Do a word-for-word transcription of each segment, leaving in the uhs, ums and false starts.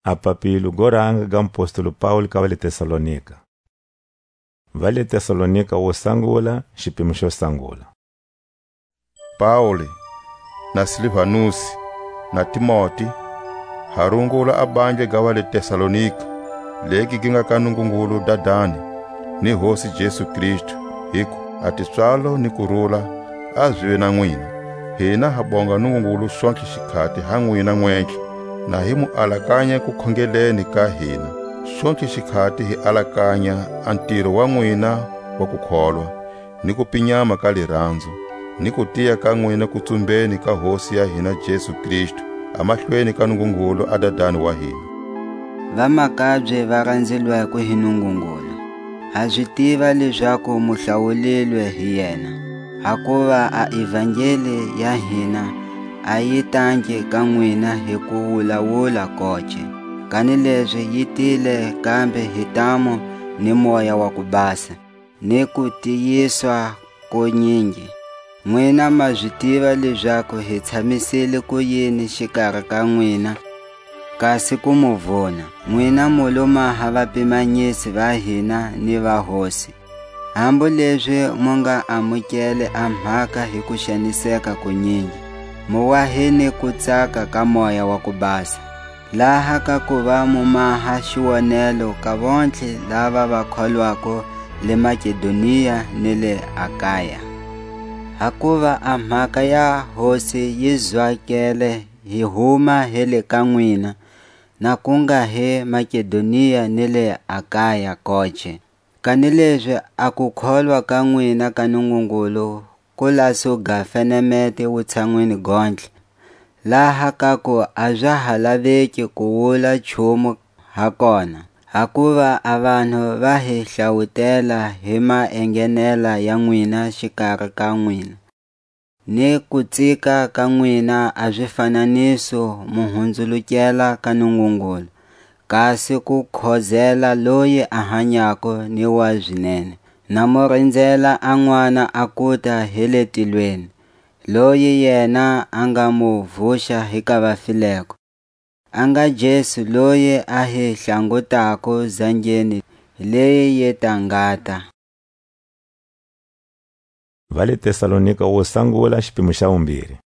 A papilo go ranga ga mupostoli Paule ka va le Tesalonika. Va le Tesalonika wo sangula, xipimo xo sangula. Paule, na Silvanusi, na Timoti, ha rungula a bandla ga va le Tesalonika, legi gi nga ka Nungungulu Dadani, ni Hosi Jesu Kristu, hiku a tipswalo ni kurula a zive na nwina. Hina ha bonga Nungungulu xontlhe xikhati ha nwina nwentlhe, na hi mu alakanya kukhongeleni ka hina. Xontlhe xikhati hi alakanya a ntiro wa nwina wa kukholwa, ni kupinyama ka liranzo, ni kutiya ka nwina kutsumbeni ka Hosi ya hina Jesu Kristu, a mahlweni ka Nungungulu a Dadani wa hina. Vamakabye va ranzelwako hi Nungungulu, ha zi tiva lezaku mu hlawulilwe hi yena, hakuva a ivangeli ya hina a yi tangi ka nwina hi kuwulawula koce, kanilezi yi tile kambe hi ntamu ni Moya wa ku Basa, ni kutiyiswa konyingi. Nwina ma zi tiva lezaku hi tshamisile kuyini xikari ka nwina, kasi ku mu vuna. Nwina mu lo maha vapimanyisi va hina ni va Hosi. Hambu lezi mu nga amukele a mhaka hi kuxaniseka kunyingi, mu wa hi ni kutsaka ka Moya wa ku Basa. Laha ka kuva mu maha xiwonelo ka vontlhe lava va kholwako le Makedonia ni le Akaya. Hakuva a mhaka ya Hosi yi zwakele hi huma hi le ka nwina, na ku nga hi Makedonia ni le Akaya koce. Kanilezi a kukholwa ka nwina ka Nungungulu ku la su ga fenemete wutshanwini gontlhe, laha ka ku a za ha laveki ku wula nchumu ha kona, hakuva a vanhu va hi hlawutela hi maengenela ya nwina xikari ka nwina, ni kutsika ka nwina a zifananiso mu hunzulukela ka Nungungulu, kasi ku khozela loyi a hanyako ni wa zinene. Na mu rinzela a N'wana a kuta hi le tilweni, loyi yena a nga mu vuxa hi ka vafileko, a nga Jesu loyi a hi hlangutako zangeni leyi yi ta ngata. Va le Tesalonika wo sangula, xipimo xa vumbirhi.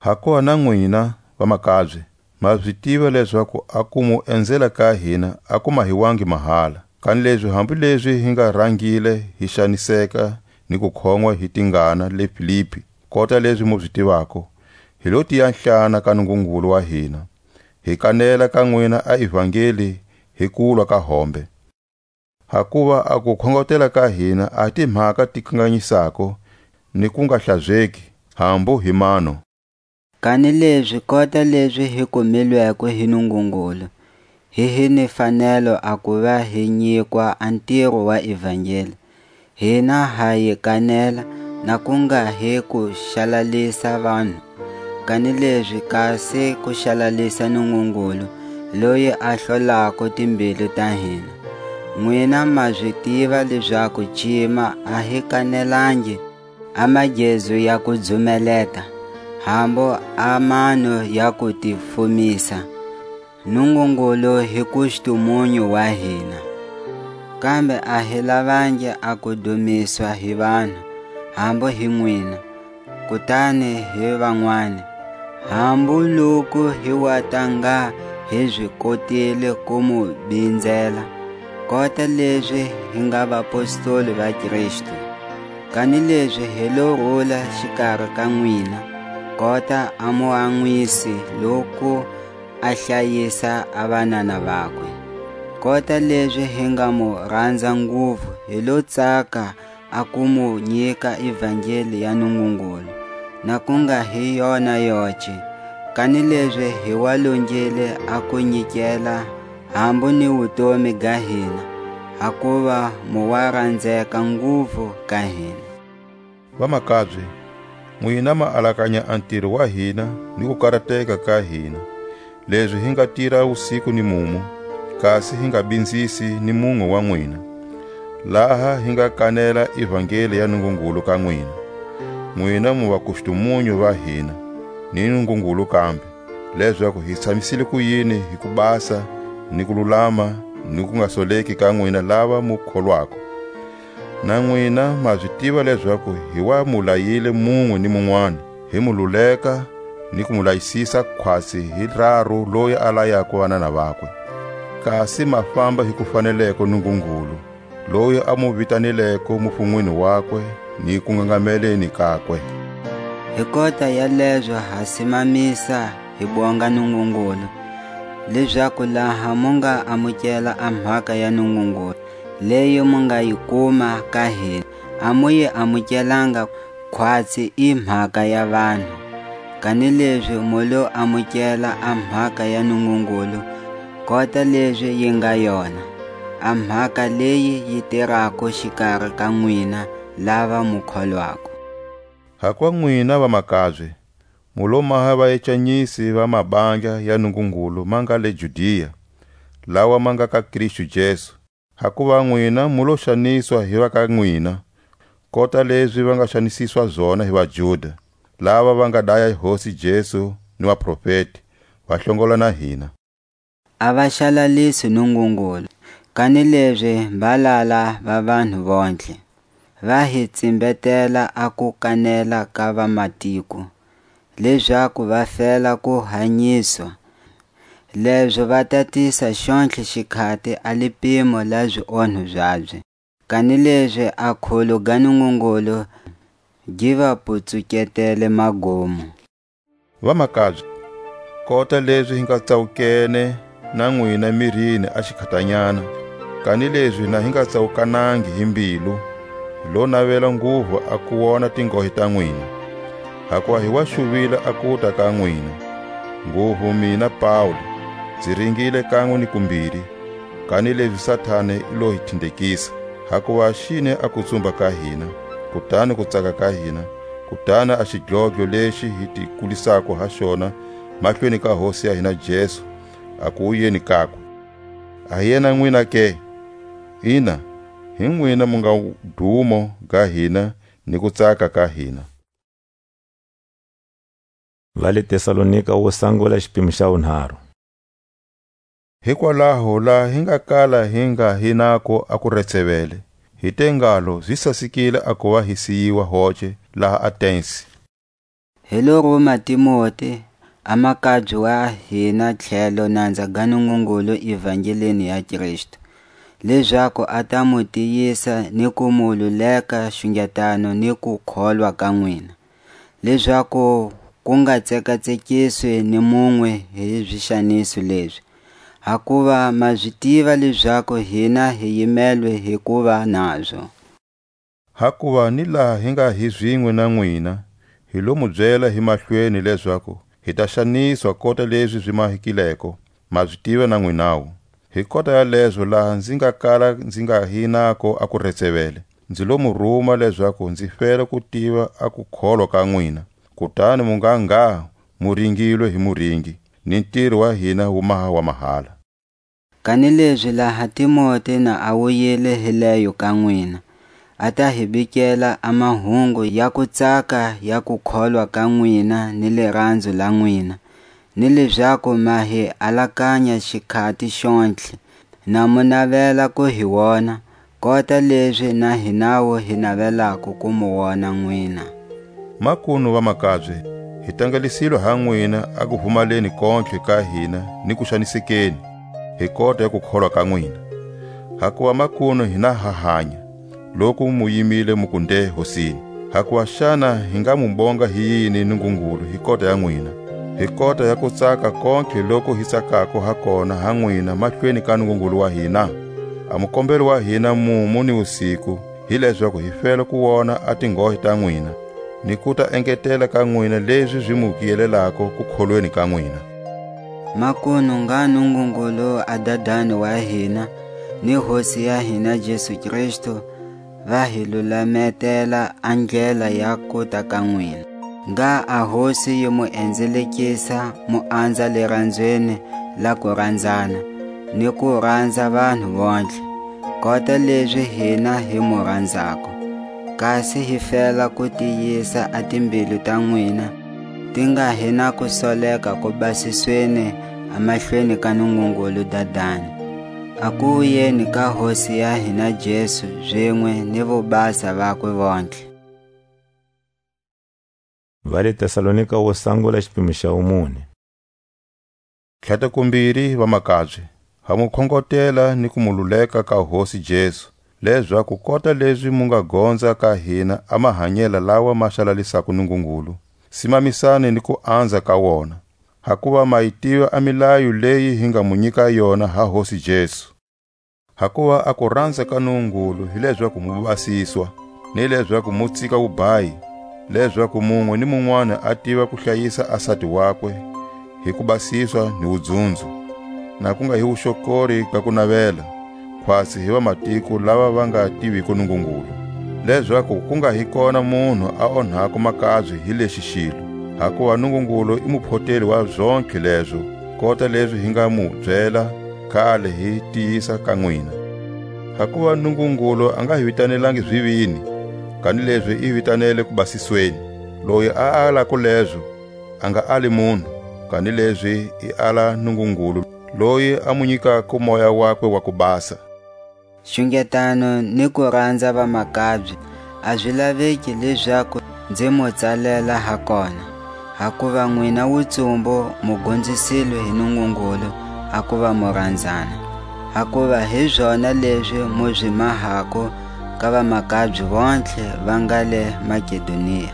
Hakona nwina, vamakabye, ma zi tiva lezaku a ku mu enzela ka hina a ku mahiwangi mahala. Kanilezi hambilezi hi nga rangile hi xaniseka ni ku khongwa hi tingana le Filipi, kota lezi mu zi tivako, hi lo tiya nhlana ka Nungungulu wa hina, hi kanela ka nwina a ivangeli hi kulwa ka hombe. Hakuva a kukhongotela ka hina a ti mhaka ti kanganyisako, ni ku nga hlazeki, hambu hi mano. Kanilezi kota lezi hi kumilweko hi Nungungulu, hi hi ni fanelo a kuva hi nyikwa a ntiro wa ivangeli, hina ha yi kanela, na ku nga hi ku xalalisa vanhu, kanilezi kasi ku xalalisa Nungungulu, loyi a hlolako timbilu ta hina. Nwina ma zi tiva lezaku cima a hi kanelangi a magezu ya ku dzumeleta, hambu a mano ya ku ti fumisa. Nungungulu hi kustumunyu wa hina. Kambe a hi lavangi a ku dumiswa hi vanhu, hambu hi nwina, kutani hi vanwani, hambu loku hi wa ta nga hi zi kotile ku mu binzela, kota lezi hi nga vapostoli va Kristu. Kanilezi hi lo rula xikari ka nwina, kota a muanwisi loku a hlayisa a vanana vakwe. Kota lezi hi nga mu ranza nguvu, hi lo tsaka a ku mu nyika ivangeli ya Nungungulu, na ku nga hi yona yoce, kanilezi hi wa longile a ku nyikela hambu ni wutomi ga hina, hakuva mu wa ranzeka nguvu ka hina. Vamakabye, nwina ma alakanya a ntiro wa hina ni ku karateka ka hina, lezi hi nga tira wusiku ni mumu, kasi hi nga binzisi ni munwe wa nwina, laha hi nga kanela ivangeli ya Nungungulu ka nwina. Nwina mu vakustumunyu va hina, ni Nungungulu kambe. lezaku hi tshamisile ku yini hi kubasa ni kululama ni ku nga soleki ka nwina lava mu kholwako. Na nwina ma zi tiva lezaku hi wa mu layile munwe ni munwani, hi mu luleka ni ku mu layisisa khwatsi hi raru loyi a layako vanana vakwe. Kasi ma famba hi ku faneleko Nungungulu, loyi a mu vitanileko mufunweni wakwe ni kungangameleni kakwe. Hi kota ya lezo ha simamisa hi bonga Nungungulu, lezaku laha mu nga amukela a mhaka ya Nungungulu, leyi mu nga yi kuma ka hina, a mu yi amukelanga khwatsi i mhaka ya vanhu, kanilezi mu lo amukela a mhaka ya Nungungulu, kota lezi yi nga yona, a mhaka leyi yi tirako xikari ka nwina lava mu kholwako. Hakuva nwina vamakabye, mu lo maha vaecanyisi va mabandla ya Nungungulu ma nga le Judia, lawa ma nga ka Kristu Jesu, hakuva nwina mu lo xaniswa hi va ka nwina, kota lezi va nga xanisiswa zona hi vaJuda, lava va nga daya Hosi Jesu ni vaprofeti, va hlongola na hina. A va xalalisi Nungungulu, kanilezi mbalala va vanhu vontlhe, va hi tsimbetela a ku kanela ka vamatiko, lezaku va fela ku hanyiswa, lezo va tatisa xontlhe xikhati a lipimo la zionho zabye, kanilezi a kholo ga Nungungulu gi va putsuketele magumo. Vamakabye, kota lezi hi nga tsawukene na nwina mirini a xikhatanyana, kanilezi na hi nga tsawukanangi hi mbilu, hi lo navela nguvu a ku wona tingohe ta nwina, hakuva hi wa xuvile a kuta ka nwina, nguvu mina Paule, nzi ringile kanwe ni kumbiri, kanilezi Satani i lo hi thindekisa, hakuva a xine a kutsumba ka hina, kutani kutsaka ka hina, kutani a xidlodlo lexi hi ti kulisako ha xona mahlweni ka Hosi ya hina Jesu, a kuwuyeni kakwe. A hi yena nwina ke? Ina, hi nwina mu nga dumo ga hina ni kutsaka ka hina. Va le Tesalonika wo sangula, xipimo xa wunharu. Hikwalaho, laha hi nga kala hi nga hi nako a kuretsevele, hi te ngalo, zi sasekile a kuva hi siyiwa hoce laha Atensi. Hi lo ruma Timote, a makabye wa hina tlhelo nanza ga Nungungulu evangeleni ya Kristu, lezaku a ta mu tiyisa ni ku mu luleka xungetano ni kukholwa ka nwina, lezaku ku nga tsekatsekiswi ni munwe hi zixaniso lezi, hakuva ma zi tiva lezaku hina hi yimelwe hi kuva nazo. Hakuva ni laha hi nga hi zinwe na nwina, hi lo mu byela hi mahlweni lezaku hi ta xaniswa kota lezi zi mahekileko, ma zi tiva na nwinawu. Hi kota yalezo, laha nzi nga kala nzi nga hi nako a kuretsevele, nzi lo mu ruma lezaku nzi fela ku tiva a kukholwa ka nwina, kutani mu nga ngha mu ringilwe hi muringi, ni ntiro wa hina wu maha wa mahala. Kanilezi laha Timote na a wuyile hi leyo ka nwina, a ta hi bikela a mahungu ya kutsaka ya kukholwa ka nwina ni liranzo la nwina, ni lezaku ma hi alakanya xikhati xontlhe, na mu navela ku hi wona, kota lezi na hinawu hi navelako ku mu wona nwina. Makunu vamakabye, hi tangalisilwe ha nwina a kuvumaleni kontlhe ka hina ni kuxanisekeni, hi kota ya kukholwa ka nwina. Hakuva makunu hina ha hanya, loku mu yimile mu kunde Hosini. Hakuva xana hi nga mu bonga hi yini Nungungulu hi kota ya nwina, hi kota ya kutsaka kontlhe loku hi tsakako ha kona ha nwina mahlweni ka Nungungulu wa hina? A mukombelo wa hina mumu ni wusiku, hi lezaku hi fela ku wona a tinghohe ta nwina, ni ku ta engetela ka nwina lezi zi mu kiyelelako kukholweni ka nwina. Makunu ngha Nungungulu a Dadani wa hina, ni Hosi ya hina Jesu Kristu, va hi lulametela a ndlela ya kuta ka nwina. Ngha a Hosi yi mu enzelekisa mu anza liranzweni la kuranzana, ni ku ranza vanhu vontlhe, kota lezi hina hi mu ranzako. Kasi hi fela ku tiyisa a timbilu ta nwina, ti nga hi na ku soleka ku basisweni a mahlweni ka Nungungulu Dadani, a ku wuyeni ka Hosi ya hina Jesu, zinwe ni vubasa vakwe vontlhe. Va le Tesalonika wo sangula, xipimo xa wumune. Tlhata kumbiri, vamakabye, ha mu khongotela ni ku mu luleka ka Hosi Jesu, lezaku kota lezi mu nga gonza ka hina a mahanyela lawa ma xalalisako Nungungulu, simamisani ni ku anza ka wona, hakuva ma yi tiva a milayo leyi hi nga mu nyika yona ha Hosi Jesu. Hakuva a kuranza ka Nungungulu hi lezaku mu basiswa, ni lezaku mu tsika wubayi, lezaku munwe ni munwani a tiva ku hlayisa a sati wakwe hi kubasiswa ni wudzunzo, na ku nga hi wuxokori ga kunavela, khwatsi hi vamatiko lava va nga tiviko Nungungulu, lezaku ku nga hi kona munhu a onhako makabye hi lexi xilo. Hakuva Nungungulu i muphoteli wa zontlhe lezo, kota lezi hi nga mu byela kale hi tiyisa ka nwina. Hakuva Nungungulu a nga hi vitanelangi zivini, kanilezi i hi vitanele kubasisweni. Loyi a alako lezo, a nga ali munhu, kanilezi i ala Nungungulu, loyi a mu nyikako Moya wakwe wa ku basa. Xungetano ni kuranza vamakabye a zi laveki lezaku nzi mu tsalela ha kona, hakuva nwina wutsumbu mu gonzisilwe hi Nungungulu a kuva mu ranzana. Hakuva hi zona lezi mu zi mahako ka vamakabye vontlhe va nga le Makedonia.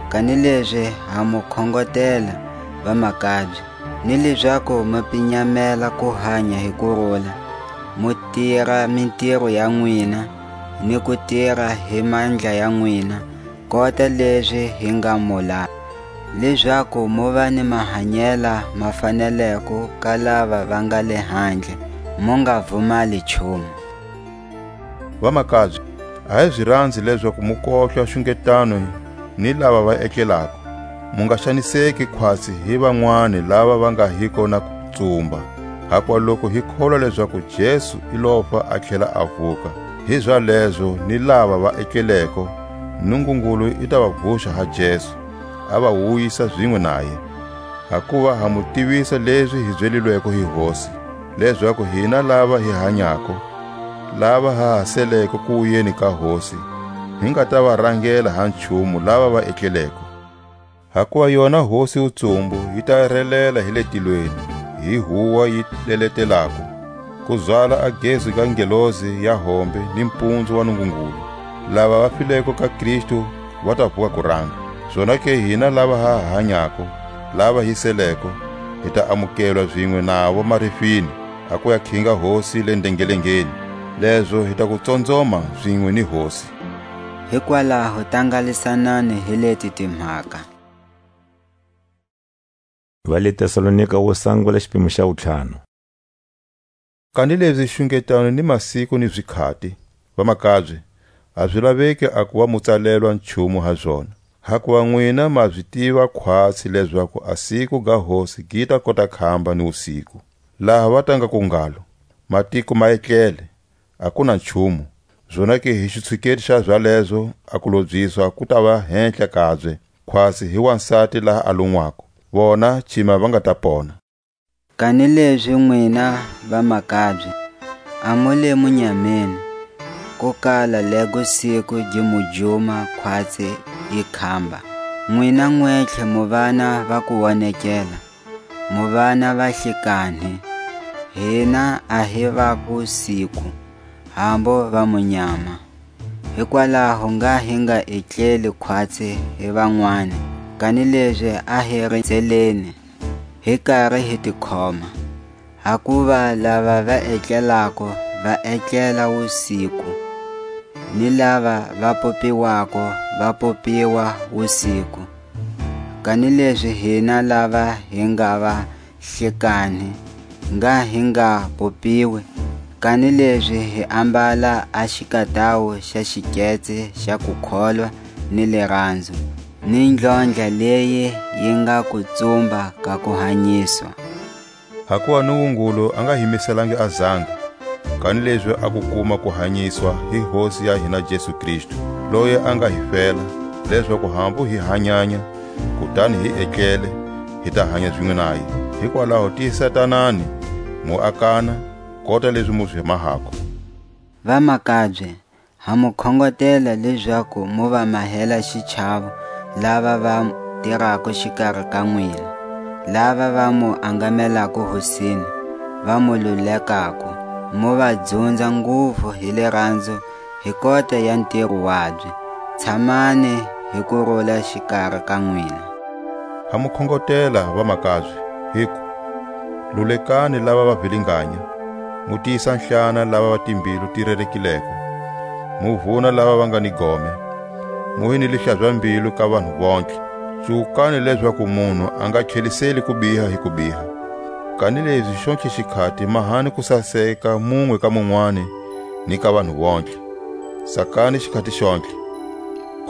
Kanilezi ha mu khongotela, vamakabye, ni lezaku mu pinyamela ku hanya hi kurula, mu tira mintiro ya nwina, ni ku tira hi mandla ya nwina, kota lezi hi nga mu lava, lezaku mu va ni mahanyela ma faneleko ka lava va nga le handle, mu nga vumali nchumu. Vamakabye, a hi zi ranzi lezaku mu kohlwa xungetano ni lava va etlelako. Mu nga xaniseki khwatsi hi vanwani lava va nga hiko na kutsumba. Hakuva loku hi kholwa lezaku Jesu i lofa a tlhela a vuka, hizalezo ni lava va etleleko, Nungungulu i ta va vuxa ha Jesu, a va wuyisa zinwe naye. Hakuva ha mu tivisa lezi hi byelilweko hi Hosi, lezaku hina lava hi hanyako, lava ha ha seleko ku wuyeni ka Hosi, hi nga ta va rangela ha nchumu lava va etleleko. Hakuva yona Hosi wutsumbu yi ta relela hi le tilweni, hi huwa yi leletelako, ku zwala a gezu ga ngelosi ya hombe ni mpunzu wa Nungungulu. Lava va fileko ka Kristu va ta vuka kuranga. Zonake hina lava ha hanyako, lava hi seleko, hi ta amukelwa zinwe navo marifini, a ku ya khinga Hosi le ndengelengeni. Lezo hi ta ku tsonzoma zinwe ni Hosi. Hikwalaho tangalisanani hi leti timhaka. Va le Tesalonika wo sangula, xipimo xa wutlhanu. Kanilezi xungetano ni masiku ni zikhati, vamakabye, a zi laveki a kuva mu tsalelwa nchumu ha zona. Hakuva nwina ma zi tiva khwatsi lezaku a siku ga Hosi gi ta kota khamba ni wusiku. Laha va ta nga ku ngalo: "Matiko ma etlele, a ku na nchumu." Zonake hi xitshuketi xa zalezo, a kulobyiswa ku ta va henhla kabye, khwatsi hi wansati laha a lunwako. Vona cima va nga ta pona. Kanilezi nwina vamakabye, a mu le munyameni, ku kala lego siku gi mu juma khwatsi yi khamba. Nwina nwetlhe mu vana va ku wonekela, mu vana va hlikanhi, hina a hi va ku siku, hambo va munyama. Hikwalaho ngha hi nga etleli khwatsi hi vanwani, kanilezi a hi rinzeleni, hi kari hi tikhoma. Hakuva lava va etlelako va etlela wusiku, ni lava va popiwako va popiwa wusiku. Kanilezi hina lava hi nga va hlekani, ngha hi nga popiwi, kanilezi hi ambala a xikatawu xa xiketse xa kukholwa ni liranzo, ni ndlondla leyi yi nga ku tsumba ka kuhanyiswa. Hakuva Nungungulu a nga hi miselangi a zanga, kanilezi a ku kuma kuhanyiswa hi Hosi ya hina Jesu Kristu, loyi a nga hi fela, lezaku hambu hi hanyanya, kutani hi etlele, hi ta hanya zinwe naye. Hikwalaho tiyisatanani, mu akana, kota lezi mu zi mahako. Vamakabye, ha mu khongotela lezaku mu va mahela xichavo lava va tirako xikari ka nwina, lava va mu angamelako Hosini, va mu lulekako, mu va dzunza nguvu hi liranzo hi kota ya ntiro wabye. Tshamani hi kurula xikari ka nwina. Ha mu khongotela, vamakabye, hiku: Lulekani lava va vilinganya, mu tiyisa nhlana lava va timbilu ti rerekileko, mu vuna lava va nga ni gome, mu hi ni lihlaza-mbilu ka vanhu vontlhe. Tsukani lezaku munhu a nga tlheliseli kubiha hi kubiha, kanilezi xontlhe xikhati mahani kusaseka munwe ka munwani ni ka vanhu vontlhe. Sakani xikhati xontlhe.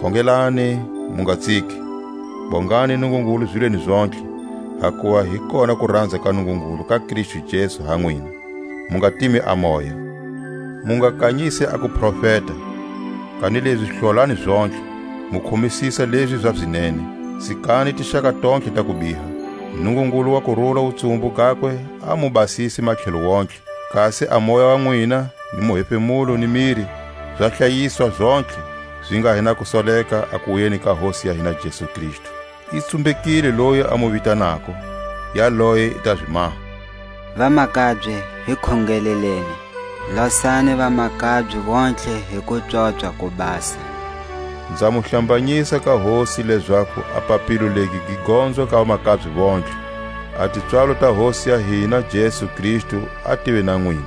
Khongelani, mu nga tsiki. Bongani Nungungulu zilweni zontlhe, hakuva hi kona kuranza ka Nungungulu ka Kristu Jesu ha nwina. Mu nga timi a moya. Mu nga kanyisi a kuprofeta, kanilezi hlolani zontlhe, mu khomisisa lezi za zinene. Tsikani tixaka tontlhe ta kubiha. Nungungulu wa kurula wutsumbu gakwe a mu basisi matlhelo wontlhe, kasi a moya wa nwina, ni muhefemulo, ni miri, za hlayiswa zontlhe, zi nga hi na kusoleka a kuwuyeni ka Hosi ya hina Jesu Kristu. I tsumbekile loyi a mu vitanako, yaloye i ta zi maha. Vamakabye, hi khongeleleni. Losani vamakabye vontlhe hi kupswopswa ku basa. Nza mu hlambanyisa ka Hosi, lezaku a papilo legi gi gonzwa ka vamakabye vontlhe. A tipswalo ta Hosi ya hina Jesu Kristu a tive na nwina.